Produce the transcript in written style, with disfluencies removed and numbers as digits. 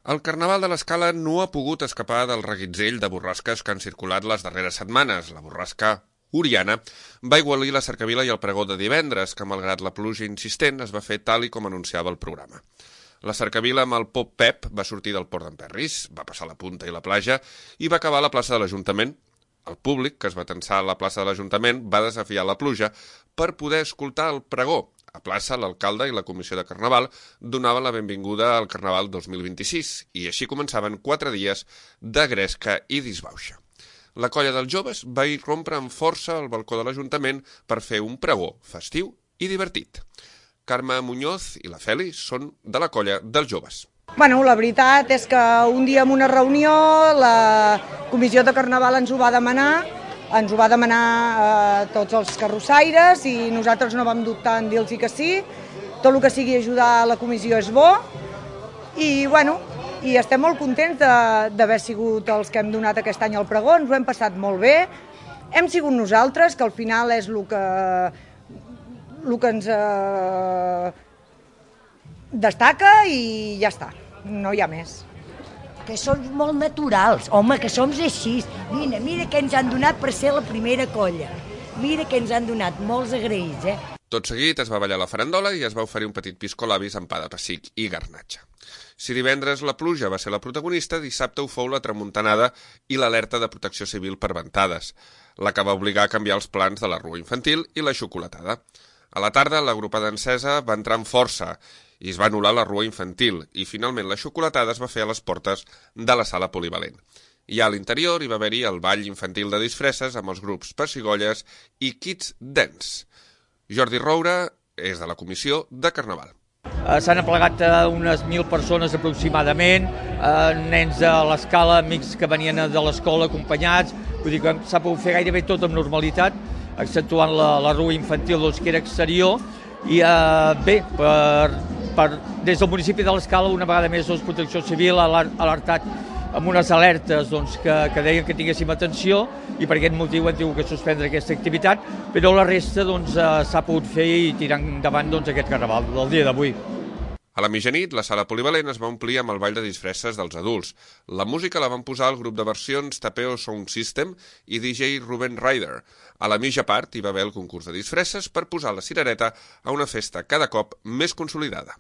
El Carnaval de l'Escala no ha pogut escapar del reguitzell de borrasques que han circulat les darreres setmanes. La borrasca Oriana va aigualir la cercavila i el pregó de divendres, que malgrat la pluja insistent es va fer tal i com anunciava el programa. La cercavila amb el Pop Pep va sortir del port d'Emperris, va passar la Punta i la platja i va acabar a la plaça de l'Ajuntament. El públic, que es va tensar a la plaça de l'Ajuntament, va desafiar la pluja per poder escoltar el pregó. A plaça, l'alcalde i la comissió de Carnaval donaven la benvinguda al Carnaval 2026 i així començaven 4 dies de gresca i disbauxa. La colla dels joves va irrompre amb força al balcó de l'Ajuntament per fer un pregó festiu i divertit. Carme Muñoz i la Feli són de la colla dels joves. Bueno, la veritat és que un dia en una reunió la comissió de Carnaval ens ho va demanar a tots els carrossaires i nosaltres no vam dubtar en dir-los que sí. Tot el que sigui ajudar la comissió és bo i, bueno, i estem molt contents d'haver sigut els que hem donat aquest any el pregó, ens ho hem passat molt bé. Hem sigut nosaltres, que al final és el que ens destaca i ja està, no hi ha més. Que som molt naturals, home, que som així. Mira què ens han donat per ser la primera colla. Mira què ens han donat, molts agraïts, Tot seguit es va ballar la farandola i es va oferir un petit piscolabis amb pa de pessic i garnatxa. Si divendres la pluja va ser la protagonista, dissabte ho fou la tramuntanada i l'alerta de protecció civil per ventades, la que va obligar a canviar els plans de la rua infantil i la xocolatada. A la tarda, l'agrupada encesa va entrar amb força i es va anul·lar la rua infantil i finalment la xocolatada es va fer a les portes de la sala polivalent. I a l'interior hi va haver-hi el ball infantil de disfresses amb els grups Pessigolles i Kids Dance. Jordi Roura és de la comissió de Carnaval. S'han aplegat unes 1.000 persones aproximadament, nens de l'Escala, amics que venien de l'escola acompanyats, vull dir que s'ha pogut fer gairebé tot amb normalitat, exceptuant la rua infantil que era exterior, i bé, des del municipi de l'Escala una vegada més Protecció Civil ha alertat amb unes alertes que deien que tinguéssim atenció i per aquest motiu han tingut que suspendre aquesta activitat, però la resta s'ha pogut fer i tirar endavant aquest Carnaval del dia d'avui. A la mitjanit, la sala polivalent es va omplir amb el ball de disfresses dels adults. La música la van posar el grup de versions Tapeo Sound System i DJ Ruben Ryder. A la mitja part hi va haver el concurs de disfresses per posar la cirereta a una festa cada cop més consolidada.